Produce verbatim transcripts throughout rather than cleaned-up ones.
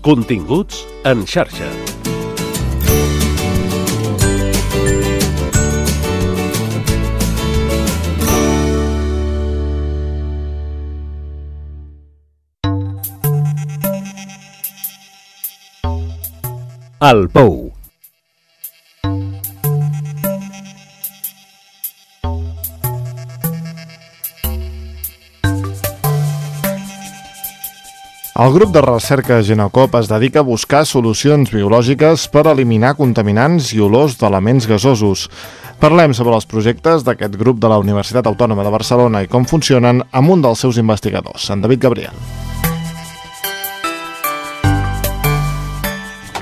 Continguts en xarxa. El Pou. El grup de recerca Genocop es dedica a buscar solucions biològiques per eliminar contaminants i olors d'elements gasosos. Parlem sobre els projectes d'aquest grup de la Universitat Autònoma de Barcelona i com funcionen amb un dels seus investigadors, en David Gabriel.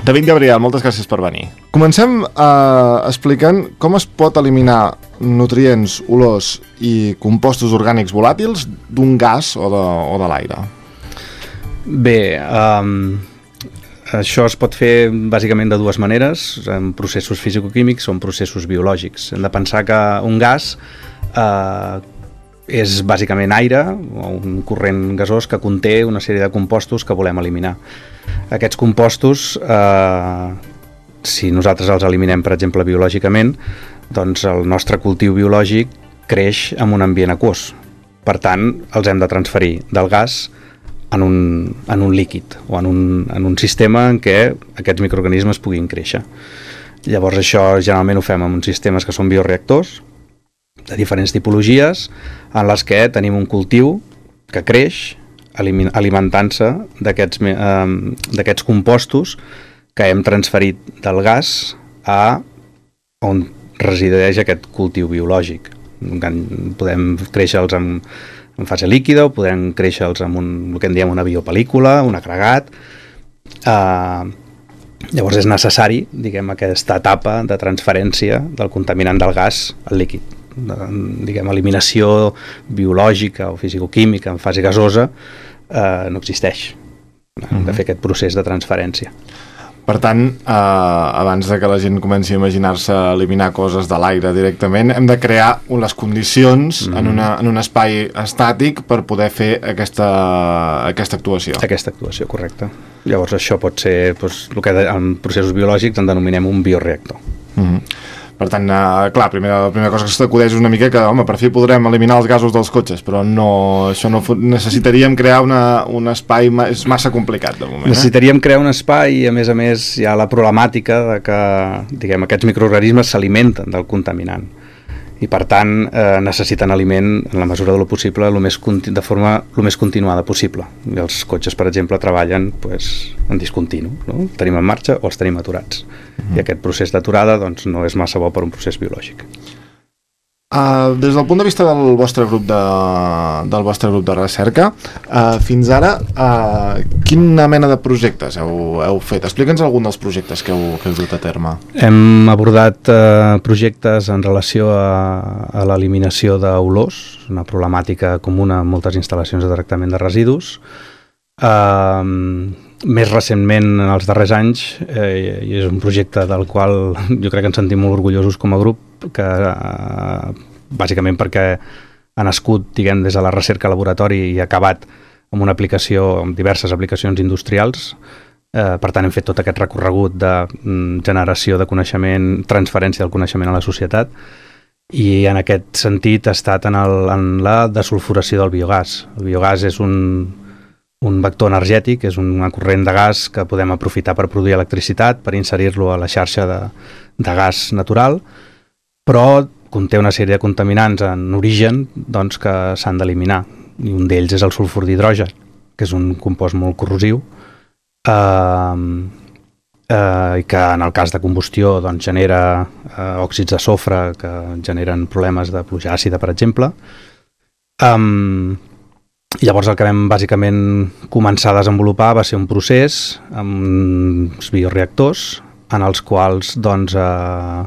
David Gabriel, moltes gràcies per venir. Comencem eh, explicant com es pot eliminar nutrients, olors i compostos orgànics volàtils d'un gas o de, o de l'aire. Bé, um, això es pot fer bàsicament de dues maneres, en processos fisicoquímics o en processos biològics. Hem de pensar que un gas eh, és bàsicament aire o un corrent gasós que conté una sèrie de compostos que volem eliminar. Aquests compostos, eh, si nosaltres els eliminem, per exemple, biològicament, doncs el nostre cultiu biològic creix en un ambient aquós. Per tant, els hem de transferir del gas en un, en un líquid o en un, en un sistema en què aquests microorganismes puguin créixer. Llavors això generalment ho fem en uns sistemes que són bioreactors de diferents tipologies en les que tenim un cultiu que creix alimentant-se d'aquests eh, d'aquests compostos que hem transferit del gas a on resideix aquest cultiu biològic. Podem créixer-los en en fase líquida o podem créixer-los amb un, el que en diem una biopel·lícula, un agregat. Uh, llavors és necessari, diguem, aquesta etapa de transferència del contaminant del gas al líquid. De, diguem, eliminació biològica o fisicoquímica en fase gasosa uh, no existeix. Hem de fer aquest procés de transferència. Per tant, eh, abans de que la gent comenci a imaginar-se eliminar coses de l'aire directament, hem de crear les condicions mm. en, una, en un espai estàtic per poder fer aquesta, aquesta actuació. Aquesta actuació, correcte. Llavors això pot ser, doncs, el que en processos biològics en denominem un bioreactor. Mm. Per tant, eh, clar, primer, la primera cosa que s'acudeix és una mica que, home, per fi podrem eliminar els gasos dels cotxes, però no, això no necessitaríem crear una, un espai, és massa complicat de moment. Eh? Necessitaríem crear un espai i, a més a més, hi ha la problemàtica de que, diguem, aquests microorganismes s'alimenten del contaminant i, per tant, eh, necessiten aliment, en la mesura de lo possible, lo més, de forma el més continuada possible. I els cotxes, per exemple, treballen pues, en discontinu, no? Els tenim en marxa o els tenim aturats. Uh-huh. I aquest procés d'aturada doncs, no és massa bo per un procés biològic. Uh, des del punt de vista del vostre grup de, del vostre grup de recerca, uh, fins ara, uh, quina mena de projectes heu, heu fet? Explica'ns algun dels projectes que heu, que heu dut a terme. Hem abordat uh, projectes en relació a, a l'eliminació d'olors, una problemàtica comuna en moltes instal·lacions de tractament de residus. Uh, més recentment, en els darrers anys, eh, i és un projecte del qual jo crec que ens sentim molt orgullosos com a grup, que eh, bàsicament perquè ha nascut, diguem, des de la recerca laboratori i ha acabat amb una aplicació, amb diverses aplicacions industrials. Eh, per tant, hem fet tot aquest recorregut de mm, generació de coneixement, transferència del coneixement a la societat, i en aquest sentit ha estat en, el, en la desulfuració del biogàs. El biogàs és un un vector energètic, és un corrent de gas que podem aprofitar per produir electricitat, per inserir-lo a la xarxa de, de gas natural, però conté una sèrie de contaminants en origen doncs, que s'han d'eliminar. I un d'ells és el sulfur d'hidrogen, que és un compost molt corrosiu, eh, eh, i que en el cas de combustió doncs, genera eh, òxids de sofre que generen problemes de pluja àcida, per exemple. Um, Llavors el que vam bàsicament començar a desenvolupar va ser un procés amb uns bioreactors en els quals doncs, eh,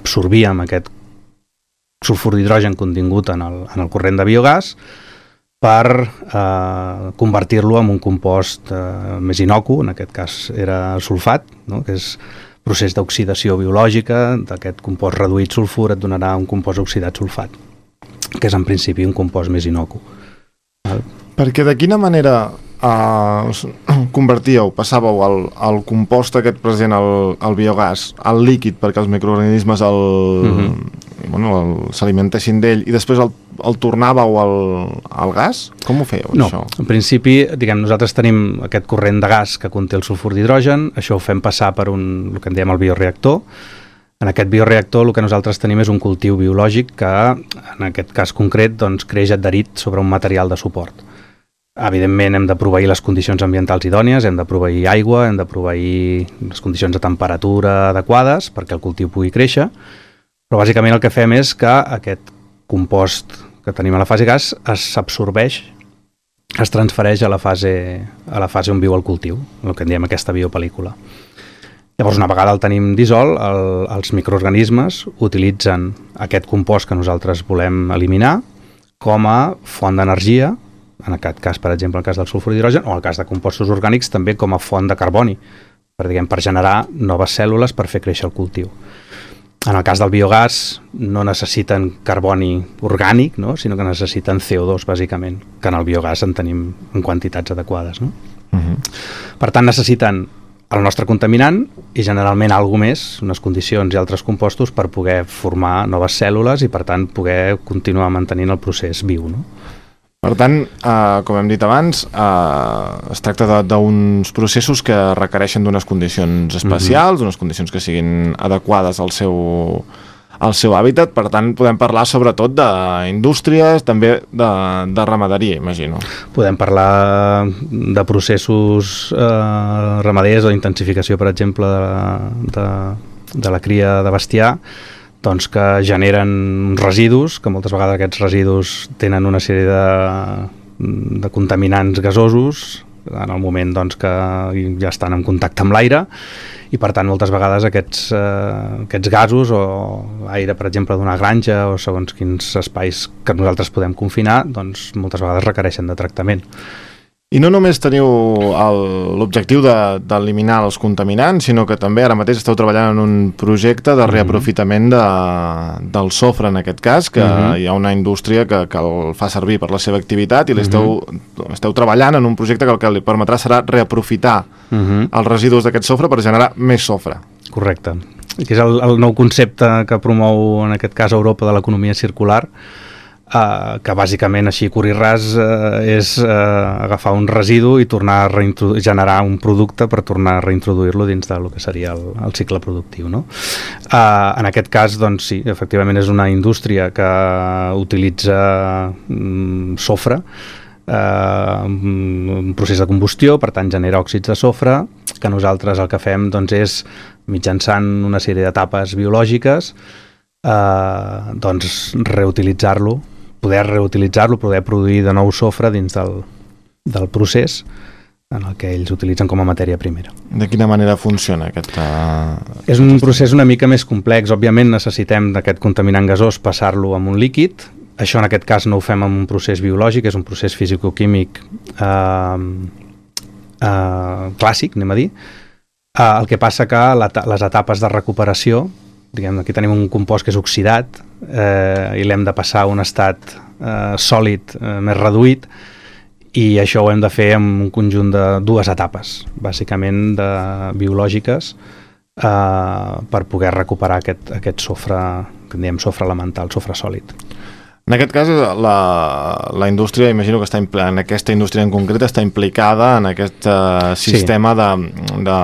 absorbíem aquest sulfur d'hidrogen contingut en el, en el corrent de biogàs per eh, convertir-lo en un compost eh, més inocu, en aquest cas era sulfat, no? Que és procés d'oxidació biològica, d'aquest compost reduït sulfur et donarà un compost oxidat sulfat, que és en principi un compost més inocu. Perquè de quina manera uh, convertíeu, passàveu el, el compost aquest present, el, el biogàs, al líquid perquè els microorganismes el, mm-hmm. bueno, s'alimentessin d'ell i després el, el tornàveu al, al gas? Com ho fèieu, no, això? En principi, diguem, nosaltres tenim aquest corrent de gas que conté el sulfur d'hidrogen, això ho fem passar per un, el que en diem el bioreactor. En aquest bioreactor el que nosaltres tenim és un cultiu biològic que, en aquest cas concret, doncs, creix adherit sobre un material de suport. Evidentment hem de proveir les condicions ambientals idònies, hem de proveir aigua, hem de proveir les condicions de temperatura adequades perquè el cultiu pugui créixer, però bàsicament el que fem és que aquest compost que tenim a la fase gas s'absorbeix, es transfereix a la fase, a la fase on viu el cultiu, el que en diem aquesta biopel·lícula. Llavors, una vegada el tenim dissolt, el, els microorganismes utilitzen aquest compost que nosaltres volem eliminar com a font d'energia, en aquest cas, per exemple, el cas del sulfur d'hidrogen, o en el cas de compostos orgànics, també com a font de carboni, per, diguem, per generar noves cèl·lules per fer créixer el cultiu. En el cas del biogàs no necessiten carboni orgànic, no? Sinó que necessiten C O dos, bàsicament, que en el biogàs en tenim en quantitats adequades. No? Uh-huh. Per tant, necessiten el nostre contaminant i generalment alguna més, unes condicions i altres compostos per poder formar noves cèl·lules i per tant poder continuar mantenint el procés viu. No? Per tant, eh, com hem dit abans, eh, es tracta d'uns processos que requereixen d'unes condicions especials, mm-hmm. unes condicions que siguin adequades al seu, al seu hàbitat, per tant podem parlar sobretot d'indústries, també de, de ramaderia, imagino. Podem parlar de processos eh, ramaders o d'intensificació, per exemple, de, de, de la cria de bestiar, doncs que generen residus, que moltes vegades aquests residus tenen una sèrie de, de contaminants gasosos en el moment doncs, que ja estan en contacte amb l'aire i per tant moltes vegades aquests, eh, aquests gasos o l'aire, per exemple, d'una granja o segons quins espais que nosaltres podem confinar, doncs moltes vegades requereixen de tractament. I no només teniu l'objectiu d'eliminar de, els contaminants, sinó que també ara mateix esteu treballant en un projecte de reaprofitament de, del sofre, en aquest cas, que uh-huh. hi ha una indústria que, que el fa servir per la seva activitat i l'esteu uh-huh. esteu treballant en un projecte que el que li permetrà serà reaprofitar uh-huh. els residus d'aquest sofre per generar més sofre. Correcte. Que és el, el nou concepte que promou, en aquest cas, Europa de l'economia circular, Uh, que bàsicament així curt i ras uh, és uh, agafar un residu i tornar a generar un producte per tornar a reintroduir-lo dins del que seria el, el cicle productiu. No? Uh, en aquest cas, doncs sí, efectivament és una indústria que utilitza um, sofre, uh, un procés de combustió, per tant genera òxids de sofre, que nosaltres el que fem doncs, és, mitjançant una sèrie d'etapes biològiques, uh, doncs reutilitzar-lo, poder reutilitzar-lo, poder produir de nou sofre dins del, del procés en el que ells utilitzen com a matèria primera. De quina manera funciona aquest... Uh... És un procés una mica més complex. Òbviament necessitem d'aquest contaminant gasós passar-lo amb un líquid. Això en aquest cas no ho fem amb un procés biològic, és un procés fisicoquímic uh, uh, clàssic, anem a dir. Uh, el que passa que la, les etapes de recuperació, diguem, aquí tenim un compost que és oxidat eh, i l'hem de passar a un estat eh, sòlid eh, més reduït i això ho hem de fer en un conjunt de dues etapes, bàsicament de biològiques, eh, per poder recuperar aquest, aquest sofre, que en diem sofre elemental, sofre sòlid. En aquest cas, la, la indústria, imagino que està en aquesta indústria en concret està implicada en aquest uh, sistema sí. de, de,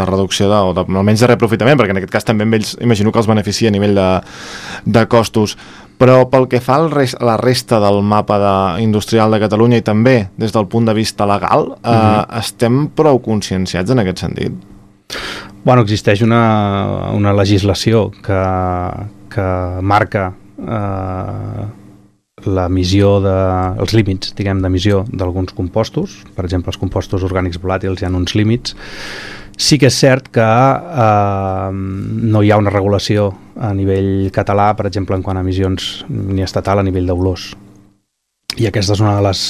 de reducció, de, o de, almenys de reaprofitament, perquè en aquest cas també ells imagino que els beneficia a nivell de, de costos. Però pel que fa a rest, la resta del mapa de, industrial de Catalunya i també des del punt de vista legal, uh, uh-huh. estem prou conscienciats en aquest sentit? Bueno, existeix una, una legislació que, que marca Uh, l'emissió de, els límits, diguem, d'emissió d'alguns compostos. Per exemple, els compostos orgànics volàtils hi ha uns límits. Sí que és cert que uh, no hi ha una regulació a nivell català, per exemple, en quant a emissions, ni estatal a nivell d'olors. I aquesta és una de les...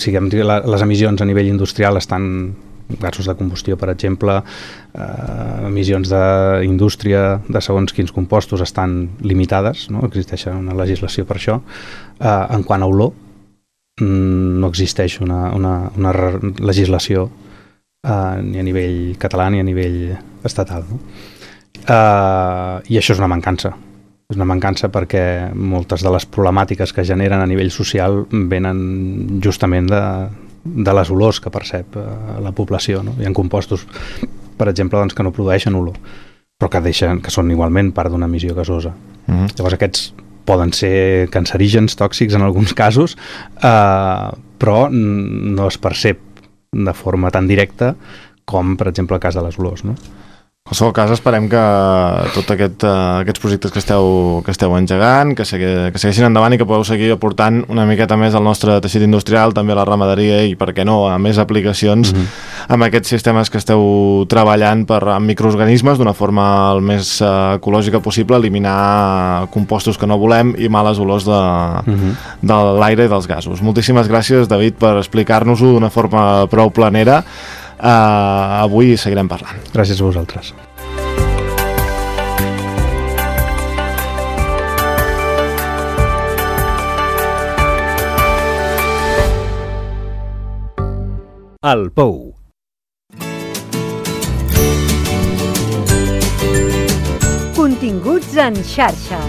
Siguem, les emissions a nivell industrial estan... gasos de combustió, per exemple, eh, emissions d'indústria de segons quins compostos estan limitades, no? Existeix una legislació per això. Eh, en quant a olor, no existeix una, una, una legislació uh, ni a nivell català ni a nivell estatal, no? Uh, I això és una mancança. És una mancança perquè moltes de les problemàtiques que generen a nivell social venen justament de, de les olors que percep uh, la població, no? Hi ha compostos, per exemple, doncs, que no produeixen olor, però que, deixen, que són igualment part d'una emissió gasosa. Mm-hmm. Llavors aquests poden ser cancerígens, tòxics en alguns casos, eh, però no es percep de forma tan directa com, per exemple, el cas de les olors, no? En qualsevol cas, esperem que tots aquest, uh, aquests projectes que esteu, que esteu engegant, que, segui, que segueixin endavant i que podeu seguir aportant una miqueta més al nostre teixit industrial, també a la ramaderia i, per què no, a més aplicacions mm-hmm. amb aquests sistemes que esteu treballant per, amb microorganismes d'una forma el més uh, ecològica possible, eliminar compostos que no volem i males olors de, mm-hmm. de l'aire i dels gasos. Moltíssimes gràcies, David, per explicar-nos-ho d'una forma prou planera. Uh, avui seguirem parlant. Gràcies a vosaltres. El Pou. Continguts en xarxa.